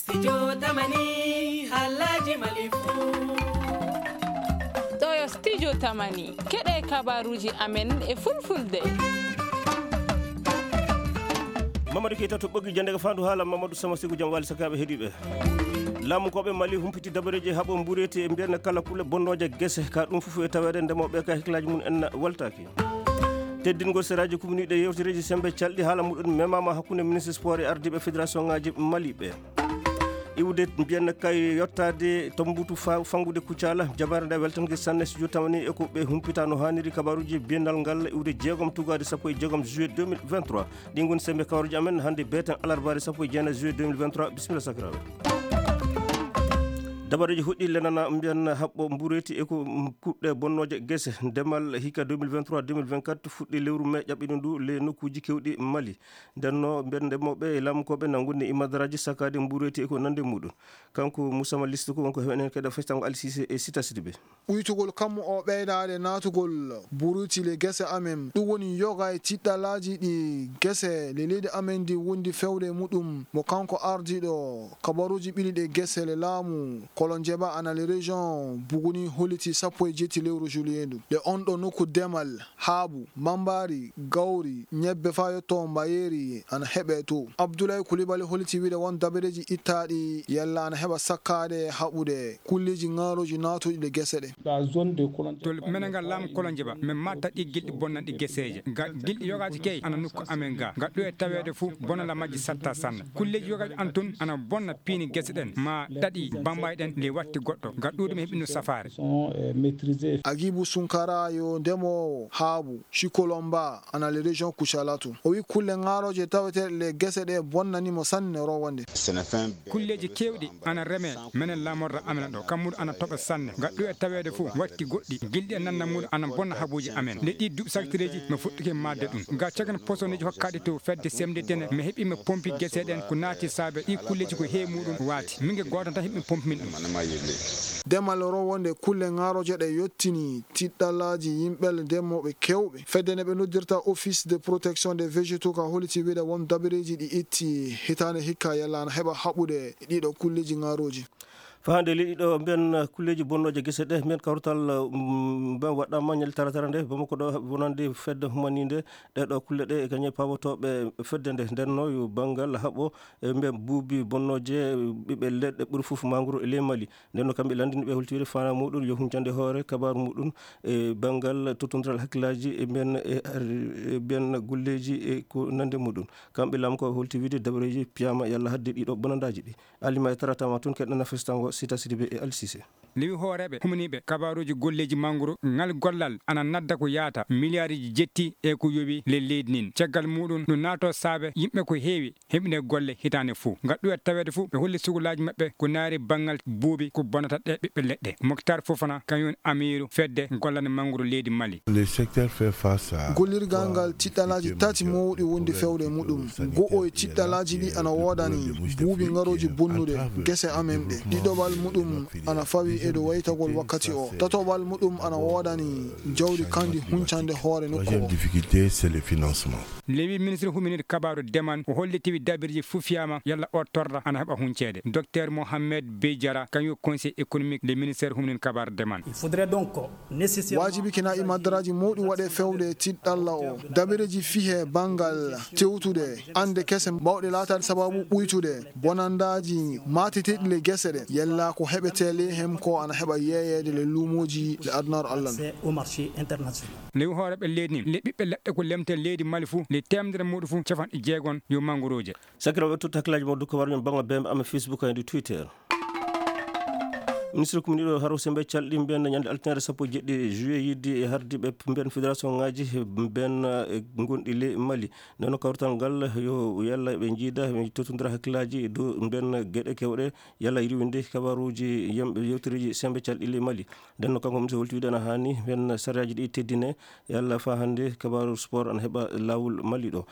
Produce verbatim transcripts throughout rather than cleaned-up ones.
Studio Tamani, halaji Mali fu. Ɗo yo Studio Tamani, keɗe kabaruji amen e fulfulde. Mamadou Keita to ɓoggi jande ko fandu haala Mamadou Sama Sigu jam wali sakaɓe heɗiɓe. Laamu koɓe Mali humpiti dabareji haɓo mbureti e mbiyan kala kule bonnoje gese ka ɗum fufu e tawede ndemoɓe ka hiklaji mum en waltaki. Teddingol seraji kumniɗe yewtereji sembe calɗi haala muɗum memama hakkunde ministre sport e ardiɓe fédération ngaji Mali ɓe. Iwde mbiyanna kay yottaade to mbutu fa-, fangude Kucala, jabaare nde weltanke sanne si jottama ni e ko ɓe humpita no haaniri kabaruji biyendal ngal iwde jeegom tugade sappo e jeegom juillet deux mille vingt-trois. Ɗi ngoni sembe kabaruji amen hannde beeten alarbaare sappo e jeenayi juillet deux mille vingt-trois. Bisimilla sakiraaɓe. Dabareji hoɗɗi lenana mbiyan haɓɓo mbureti e ko, mm, kuɗɗe bonnoje gese ndemal hikka deux mille vingt-trois deux mille vingt-quatre fuɗɗi lewru mai ƴaɓɓino ndu le nokkuji kewɗi Mali. Ndenno, mbiyen ndemooɓe e laamkooɓe na ngoni e madaraji sakaade mbureeti e ko nande muɗum. Kanko Moussa Mallisto ko wonko heɓen heen kadi festango Alsise e Sita Sidibe. Ɓuytugol kammu o ɓeydaade naatugol buruuti le gese amen. Ɗum woni yoga e tiɗɗalaaji ɗi gese le leydi amen ndi wondi fewde e muɗum. Mo kanko ardiiɗo kabaruuji ɓili ɗe gese le laamu Kolonjeba ana le région Buguni holliti sappo e jetti lewru juillet ndu. Ɗe on ɗo nokku demal. Haabu, mambaari, gawri, ñebbe faa yotto mbayeeri ana heɓee to. Abdoulaye Coulibaly holliti wiide won dabareeji ittaaɗi yalla ana heɓa sakkaade haɓude kulleeji ŋaarooji naatuɗi ɗe gese ɗe. To menen ngal laamu Kolonjeba, min maatta ɗi gilɗi bonnanɗi geseeje. Ga gilɗi yogaaji key ana nokku amen ga. Ga ɗo e taweede fuu, bonanda majji satta sanne. Kulleeji yogaaji an tun ana bonna piini gese ɗen, ma ɗaɗi bambaay ɗen le watti goɗɗo. Ga ɗuuɗi mi heɓino safaare. Agibu Sunkara yo ndemoowo haabu, Chikolomba, ana le région Kucalatu. O wi kulle ŋaarooje taweteeɗe le gese ɗe bonnani mo sanne rowande. Kulleeji keewɗi ana reme menen laamorɗo amen ɗo. Kammuɗo ana toɓa sanne. Ga ɗo e taweede fuu watti goɗɗi. Gilɗi e nannam muɗum ana bonna habuuji amen. Nde ɗi duuɓi sakitireeji mi fuɗɗike maatde ɗum. Ga cagan posoneeji hokkaɗi to fedde semde tene mi heɓi mi pompi gese ɗen ko naati saabe ɗi kulleeji ko heewi muɗum waati. Min ge gooto tan heɓi mi pompi min ɗum. Demal rowonde kulle ŋaarooje ɗe yottini tiɗɗalaaji yimɓe ndemooɓe keewɓe. Fedde nde ɓe noddirta Office de Protection des Végétaux ka holliti wiide won dabareeji ɗi itti hitaande hikka yalla ana heɓa haɓude e ɗiɗo kulleeji ŋaarooji. Faa hannde leydi ɗo mbiyen kulleeji bonnooje gese ɗe, mbiyen kawrital, mm, mbiyen waɗɗaama ñalɗi taratara nde, Bamako ɗo wonande fedde humaniinde, ɗe ɗo kulle ɗe e kañe paawotooɓe fedde nde. Nden no yo banngal haɓo e mbiyen buubi bonnooje ɓiɓɓe leɗɗe ɓuri fof mangoro e ley Mali. Nden no kamɓe lanndini ɓe holti wiide faanaa muɗum yo huncande hoore kabaaru muɗum e banngal tottondiral hakkillaaji e mbiyen, e, e mbiyen golleeji e ko nande muɗum. Kamɓe laamu ko holti wiide dabareeji piyaama yalla hadde ɗiɗo bonandaaji ɗi. Alima e taratama tun keɗɗana festango Sita Sidibe e Alsise. Lewi hooreeɓe humaniiɓe kabaaruuji golleeji mangoro ngal gollal ana nadda ko yaata miliyaariji jetti e ko yowi le leydi nin. Caggal muɗum no naato saabe yimɓe ko heewi heɓine golle hitaande fof. Ngal ɗuwet taweede fof ɓe holli sugulaaji maɓɓe ko naari banngal buubi ko bonata ɗe ɓiɓɓe leɗɗe. Moktar Fofana kañum woni amiiru fedde gollande mangoro leydi Mali. Le secteur fait face à Gollirgal ngal tiɗɗalaaji tati mawɗi wondi fewde e muɗum. Go'o e tiɗɗalaaji ɗi ana woodani buubi ngarooji bonnude gese amen ɗe. Ɗiɗoɓal muɗum ana fawi e dow waytagol wakkati o. Tatoɓal muɗum ana woodani jawdi kandi huncande hoore nokku o. Troisième difficulté, c'est le financement. Lewi ministre huminir kabaaru deman o hollitiwi dabirji fuu fiyaama yalla o torra ana heɓa hunceede. Docteur Mohamed Bey Diarra kañum conseil économique le ministère huminir kabaaru deman. Waajibi kina e maddaraaji mawɗi waɗe fewde tiɗɗalla o. Dabareeji fihe banngal tewtude annde kese mawɗe laataade sababu ɓuytude bonandaaji maateteeɗi le gese ɗe. Yella ko heɓetee le hem ko ana heɓa yeeyeede le luumooji le adunaaru Allah ndu. Lewi hooreeɓe leydi nin le ɓiɓɓe leɗɗe ko lemte leydi Mali fuu le teemedere muɗum fuu cafanɗe jeegon yo mangorooje. Sakiraaɓe, totta hakkillaaji mon dow ko warmi bannga bembe amen Facebook e Twitter. Ministre commune ɗo haro sembe calɗi mbiyan ñande altine sappo e jeɗɗi juillet yidde e hardiɓe mbiyan fédération ngaji mbiyan, eh, gonɗi le Mali. Nden no kawrital ngal yo yalla ɓe jiida ɓe tottodira hakkillaaji dow mbiyan geɗe kewɗe yalla riwinde kabaruji yimɓe yewtereji sembe calɗi le Mali. Nden no kanko ministre holti wiide ana hani mbiyan sariyaaji ɗi teddine yalla fa hannde kabaru sport ana heɓa laawol Mali ɗo.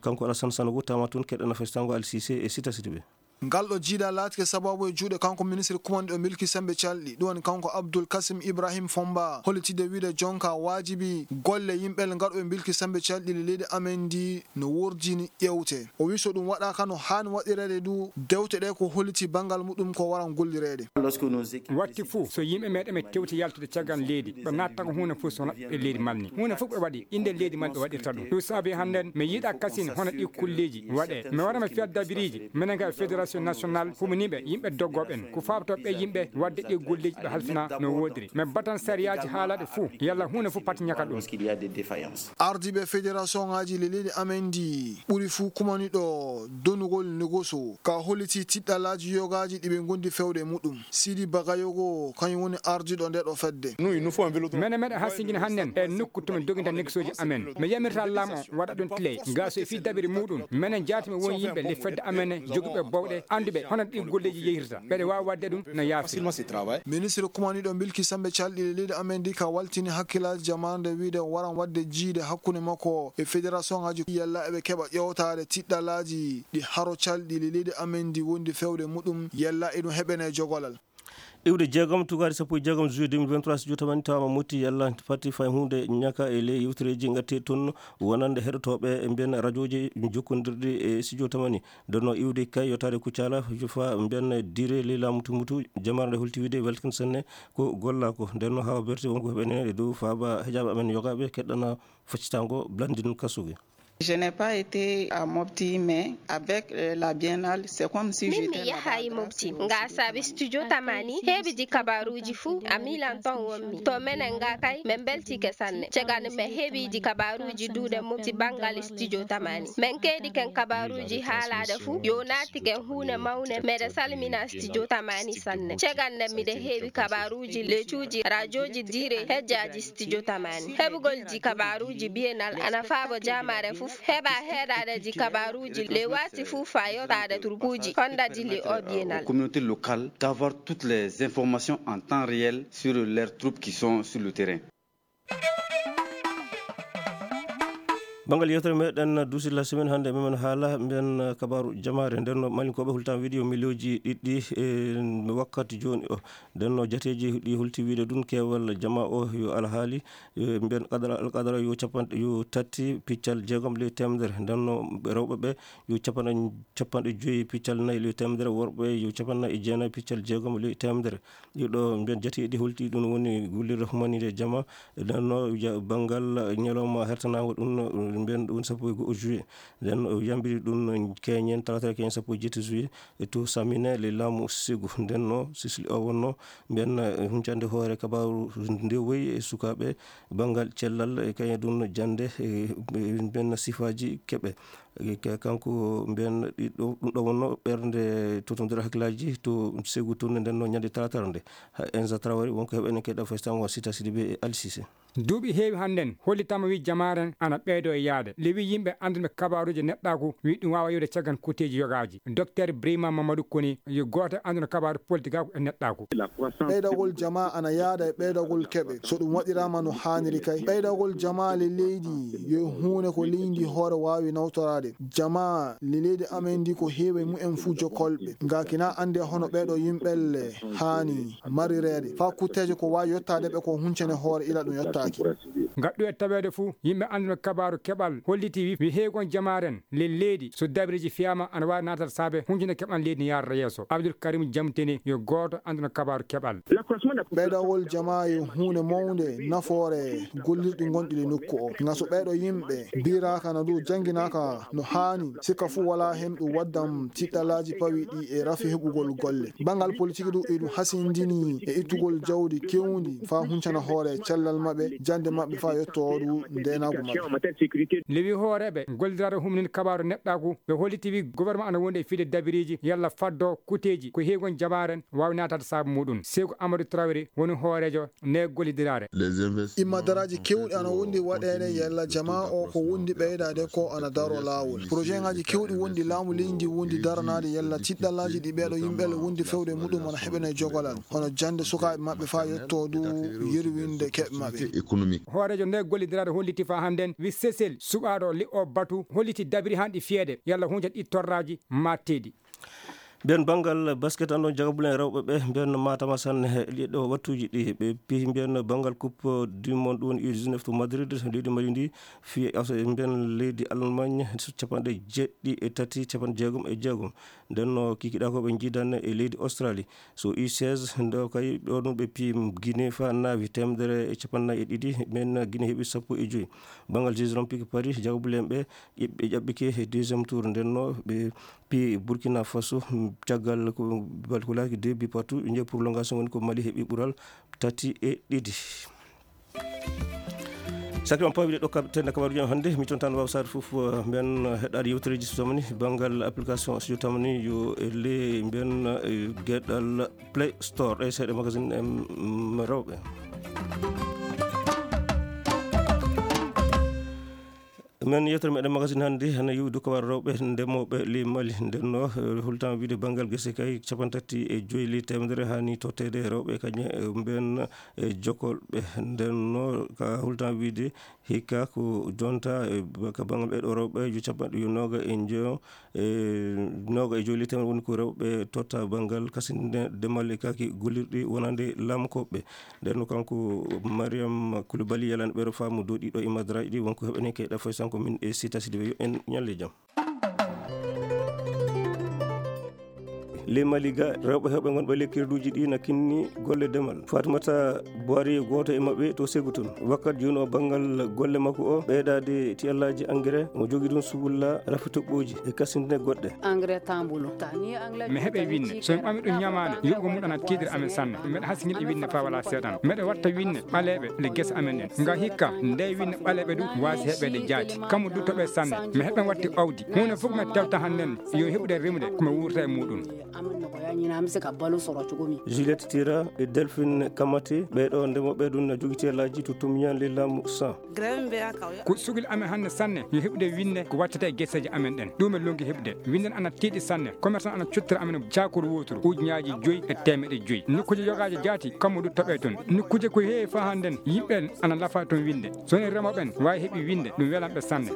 Kanko Alassane Sanogo tama toon keɗɗana festango Alsise e Sita Sidibe. Ngal ɗo jiida laatike sababu e juuɗe kanko ministre kumanɗo milki sembe calɗi, ɗum woni kanko Abdul Kasim Ibrahim Fomba, hollitide wiide jonka waajibi golle yimɓe gaɗooɓe milki sembe calɗi le leydi amen ndi no wordini ƴewte. O wi so ɗum waɗaaka no haani waɗireede du, dewte ɗe ko holliti banngal muɗum ko waran gollireede. Watti fuu, so yimɓe meeɗen ɓe tewti yaltude caggal leydi, ɓe natta ko huunde fof so naɓɓe leydi malni. Huunde fof ɓe waɗi, innde leydi malni ɓe waɗirta ɗum. Ɗum saabi hannden, mi yiɗa kasin hono ɗi kulleeji waɗe. Mi wara mi fiya dabiriiji, minen ka fédération nationale, humaniiɓe, yimɓe doggooɓe en. Ko faabtoo ɓe yimɓe waɗde ɗi golleeji ɓe halfina no woodiri. Mi batan sariyaaji haalaaɗe fof, yalla huunde fof pati ñaka ɗum. Ardiiɓe fédération ŋaaji le leydi amen ndi ɓuri fuu kumani ɗo donugol negoso, ka holliti tiɗɗalaaji yogaaji ɗi ɓe ngondi fewde muɗum. Sidi Bagayogo, kañum woni ardiiɗo nde ɗo fedde. Menen meɗen hasingina hannden e nokku to min doginta negsooji amen. Mi yamirta laamu o waɗa ɗum tile. Gaa so e fii dabiri muɗum, menen jaatimi won yimɓe le fedde amen jogiiɓe bowɗe, annduɓe hono ɗi golleeji yehirta. Ɓeɗe waawi waɗde ɗum no yaafi. Ministre kumaniiɗo milki sembe calɗi le leydi amen ndi ka waltini hakkilaaji jamaare nde wiide waran waɗde jiide hakkunde makko e fédération ŋaaji yalla eɓe keɓa ƴewtaade tiɗɗalaaji ɗi haro calɗi le leydi amen ndi wondi fewde muɗum yalla e ɗum heɓene jogolal. Iwde jeegom, tugaade sappo e jeegom juillet deux mille vingt-trois, studio tamani tawama motti yalla fati fay hunde ñaka e ley yewtereji ngatti toon wonande heɗotooɓe e mbiyen rajooji jokkondirɗi e studio tamani. Nden no iwde kay yottaade Kuccala, jufa mbiyen dire ley laamu tumutu, jamaare nde holti wiide welkin sanne ko golla ko. Nden no hawa berti wonko heɓene e dow faaba hejaaɓe amen yogaaɓe keɗɗana faccitango Blandine Kasugi. Je n'ai pas été à Mopti, mais avec, euh, la biennale, c'est comme si... Min mi yahayi Mopti, nga saabi studio tamani heɓidi kabaruuji fuu a miilan ton wonmi. To menen nga kay, min mbeltike sanne. Cagani min heɓidi kabaruuji duuɗe Mopti banngal studio tamani. Min keedi ken kabaruuji haalaade fuu, yo naati ken huune mawne, meɗe salmina studio tamani sanne. Cagande miɗe heɓi kabaruuji le cuuji rajooji dire hejjaaji studio tamani. Heɓugol ji kabaruuji bienal ana faabo jamaare fuu. Heɓa heɗaade ji kabaruuji le waati fuu fa yottaade turkuuji hondaji le o bienal. Aux communautés locales d'avoir toutes les informations en temps réel sur leurs troupes qui sont sur le terrain. Banngal yewtere meɗen Duusi la semaine hannde, memen haala mbiyen kabaaru jamaare. Nden no Malinkooɓe hultan wiide yo miliyooji ɗiɗi e wakkati jooni o. Nden no jateeji ɗi hulti wiide ɗum keewal jama o yo alhaali, e mbiyen qadara, alqadara yo capanɗe, yo tati piccal jeegom ley teemedere. Nden no rewɓe ɓe yo capanɗe, capanɗe joyi piccal nayi ley teemedere, worɓe yo capanɗe nayi e jeenayi piccal jeegom ley teemedere. Ɗiɗo mbiyen jateeɗi holti ɗum woni gollirde humaniiɗe jama. Nden no ja-, banngal ñalawma hertanaango ɗum no mbiyen ɗum sappo e go'o juillet. Nden no yambiri ɗum no keñen talaata keñen sappo e jeetati juillet e to Samine le laamu Segu. Nden no sisli o wonno mbiyen, eh, huncande hoore kabaaru nde woyi e sukaaɓe banngal cellal e kañum ɗum no jannde, eh, mbiyen sifaaji keɓe. Ka-, kanko mbiyen ɗiɗo, ɗum ɗo wonno ɓernde totondira hakkillaaji to Segu tourné nden no ñande talaata nde. Ha Enza Traoré wonko heɓene keɗa faysango Sita Sidibé e Ali Cissé. Duuɓi heewi hannden hollitama wi jamaaren ana ɓeydo e yaade. Le wi yimɓe annduɓe kabaaruuji neɗɗaaku wi ɗum waawa yiwde caggan kuteeji yogaaji. Docteur Brima Mamadou Koni yo gooto annduɗo kabaaru politikaaku e neɗɗaaku. Ɓeydagol jamaa ana yaada e ɓeydagol keɓe. So ɗum waɗiraama no haaniri kay, ɓeydagol jamaa le leydi yo huunde ko leydi hoore waawi nawtoraade. Jamaa le leydi amen ndi ko heewi e mumen fuu jokolɓe. Ngakina annde hono ɓeeɗo yimɓelle haani marireede. Faa kutteeje ko waawi yottaade ɓe ko huncene hoore ila ɗum yottaaki. Ngaɗɗu e taweede fuu, yimɓe annduɓe kabaaru keɓal holliti wi, wi heegon jamaaren le leydi so dabiriji fiyaama ana waawi naataade saabe huncene keɓal leydi ni yaarata yeeso. Abdul Karim Jamteni yo gooto annduɗo kabaaru keɓal. Ɓeydagol jamaa yo huunde mawnde nafoore gollirɗi gonɗi le nokku o. Nga so ɓeeɗo yimɓe biraaka na du jannginaaka no haani, sikka fuu walaa heen ɗum waddam tiɗɗalaaji pawiɗi e rafi heɓugol golle. Banngal politik du e ɗum hasindini e ittugol jawdi kewndi faa huncana hoore cellal maɓɓe, jannde maɓɓe faa yottoo du ndeenaagu maɓɓe. Lewi hooreeɓe gollidiraade humnin kabaaru neɗɗaaku, ɓe holliti wi gouvernement ana wondi e fiide dabiriiji yalla faddo kuteeji ko heegon jamaaren waawi naataade saabu muɗum. Seeku Amadou Traoré woni hooreejo nde gollidiraare. Imma daraaji keewɗi ana wondi waɗeede yalla jamaa o ko wondi ɓeydaade ko ana daro laawol. Projet ŋaaji keewɗi wondi laamu leydi ndi wondi daranaade yalla tiɗɗallaaji ɗi ɓeeɗo yimɓe le wondi fewde muɗum ana heɓene jogolal. Hono jannde sukaaɓe maɓɓe faa yottoo du yerwinde keɓe maɓɓe. Hooreejo nde gollidiraare holliti faa hannden wi Sesel suɓaaɗo li'o batu holliti dabiri hanɗi fiyeede yalla hunca ɗi torraaji matteeɗi. Mbiyen banngal basket, anndon jagabulen rewɓe ɓe, mbiyen maatama sanne, e ɗiɗo wattuuji ɗi ɓe piyi, mbiyen banngal Coupe du Monde, ɗum woni U dix-neuf to Madrid, leydi Mali ndi, fii as-, mbiyen leydi Allemagne, capanɗe jeeɗiɗi e tati, capanɗe jeegom e jeegom. Nden no kikiɗa ko ɓe njiidan e leydi Australie. So U seize, ndo kay ɗo ɗum ɓe piyi Guinée fa naawi teemedere e capanɗe nayi e ɗiɗi, mbiyen Guinée heɓi sappo e joyi. Banngal Jeux Olympiques Paris, jagabulen ɓe, ɓe ƴaɓɓike e deuxième tour, nden no ɓe piyi Burkina Faso, mm, caggal ko, bal ko laaki deux buts partout, ɓe njehi prolongation, woni ko Mali heɓi ɓural tati e ɗiɗi. Sakri on pawi ɗo kab-, tenda kabaruji am hannde, mi tontan waw sar fof, eh, mbiyen, eh, heɗɗaade yewtereji so tamani, banngal application so tamani yo e le mbiyen, eh, geɗal Play Store, ɗe seeɗa magazine em, mm, rewɓe. Men yewtere meɗen magazine hannde, hana yewi dow kabaru rewɓe ndemooɓe ley Mali. Nden no, eh, hultan wiide banngal gese kay, capanɗe tati e joyi ley teemedere hani totteede e rewɓe kañe, eh, mbiyen, eh, jokolɓe. Nden no ka hultan wiide hikka ko jonta, eh, ka banngal ɓeɗo rewɓe, yo capanɗe, yo nooga e njo-, e nooga e joyi ley teemedere woni ko rewɓe totta banngal kasinde demal e kaaki gollirɗi wonande laamu koɓɓe. Nden no kanko Mariam Koulibaly yalani ɓeɗo faamu dow ɗiɗo e madraji ɗi, wonko heɓene kay ɗa fay sanko min e Sita Sidibé, yo en ñalle jam. Ley Mali ga, rewɓe heɓɓe gonɓe ley kirduuji ɗi na kinni golle demal. Fatimata Buhari, gooto e maɓɓe to Segu toon. Wakkat jooni o, banngal golle makko o, ɓeydaade tiyallaaji engrais, omo jogii ɗum sugulla, rafi toɓɓooji e kasinde goɗɗe. Engrais tambulo. Mi heɓe winne. So mi ɓami ɗum ñamaande, yoɓugo mum ana tiiɗira amen sanne. Mbeɗa hasingina e winne faa walaa seeɗan. Mbeɗa watta winne ɓaleeɓe le gese amen ɗen. Nga hikka, nde winne ɓaleeɓe ɗum waasi heɓeede jaati. Kammu du toɓe sanne. Mi heɓen watti awdi. Huunde fof mi tewta hannden, yo heɓude remude, ko mi wuurta e muɗum. Juliette Tira e Delphine Kamate, ɓee ɗoo ndemooɓe ɗum na jogiti e laaji to Tumiyan le laamu san. Ko sugil amen hannde sanne, yo heɓude winne ko wattata e geseeji amen ɗen. Ɗum en longi heɓude. Winnen ana tiiɗi sanne. Commerçant ana cottira amen caakuru wooturu, ujunnaaji joyi e teemeɗɗe joyi. Nokkuuje yogaaji jaati, kammu du toɓe toon. Nokkuuje ko heewi faa hannden, yimɓe en ana lafa toon winde. So woni remooɓe en waawi heɓi winde, ɗum welan ɓe sanne.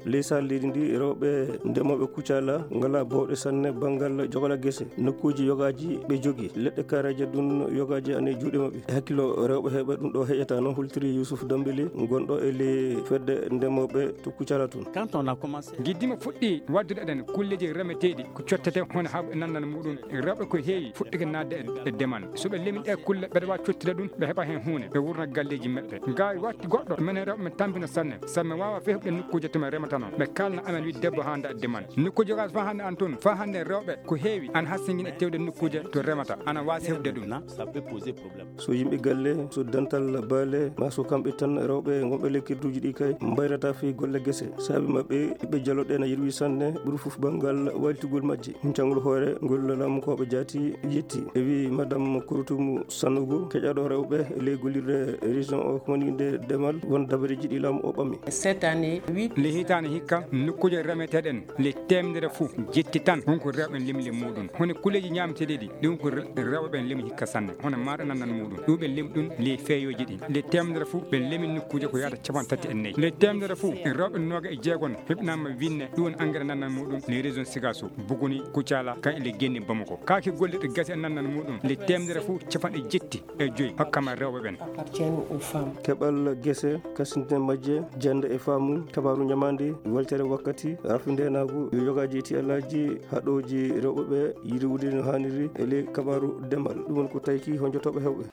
Ley sahal leydi ndi, rewɓe ndemooɓe Kucala ngalaa bawɗe sanne banngal jogala gese. Nokkuuji yogaaji ɓe jogii. Leɗɗe kaareeje ɗum yogaaji ana e juuɗe maɓɓe. E hakkillo rewɓe heɓe ɗum ɗo heƴata noon, hultiri Youssouf Dembélé, gonɗo e ley fedde ndemooɓe to Kucala toon. Quand on a commencé. Giddima fuɗɗi waddude ɗen kulleeji remeteeɗi ko cottete hono haɓu e nannal muɗum. Rewɓe ko heewi fuɗɗike naatde e, e demal. So ɓe lemi ɗe kulle, ɓeɗa waawi cottude ɗum, ɓe heɓa heen huunde, ɓe wurna galleeji maɓɓe. Ngaari watti goɗɗo, menen rewɓe men tampina sanne, sabu men waawa fewde nokkuuje to men rematano. Ɓe kaalna amen wiide debbo haanda e demal. Nokkuuje gas faa hannde an toon, faa hannde rewɓe ko heewi ana hasingina e tewde nokkuuje to remata, ana waasi heɓde ɗum. Ça peut poser problème. So yimɓe galle, so dental baale, maa so kamɓe tan rewɓe gonɓe ley kirduuji ɗi kay, mbayrata fii golle gese. Saabi maɓɓe, ɓiɓɓe jaloɗe na yirwi sanne, ɓuri fof banngal walitugol majje. Huncangol hoore ngol laamu ko ɓe jaati yetti. E wii Madame Kouroutoumou Sanogo, keƴaɗo rewɓe ley gollirde région o, ko woni nde demal, won dabareeji ɗi laamu o ɓami. Cette année, huit. Nde hitaande hikka, nokkuuje remeteeɗe en, le teemedere fof jetti tan, won ko rewɓe en limli muɗum. Hono kulleeji ñaameteeɗi ɗi, ɗum ko re-, rewɓe ɓen lemi hikka sanne. Hono maaɗa nannan muɗum. Ɗum ɓe lemi ɗum ley feeyooji ɗi. Le teemedere fof ɓe lemi nokkuuje ko yaata capanɗe tati e nayi. Le teemedere fof rewɓe nooga e jeegon heɓnaama winne. Ɗum woni engrais nannan muɗum le région Sigasso, Bougouni, Koutiala, kan e le Guéni Bamako. Kaaki gollirɗe gese e nannan muɗum le teemedere fof capanɗe jetti e joyi hokkama rewɓe ɓen. Appartiennent aux femmes. Keɓal gese, kasinte majje, jannde e faamu, kabaaru ñamaande, weltere wakkati, rafi ndeenaagu, yogaaji e tiyallaaji, haɗooji rewɓe ɓe, yiriwude no haaniri e ley kabaaru demal. Ɗum woni ko tawki honjotooɓe heewɓe.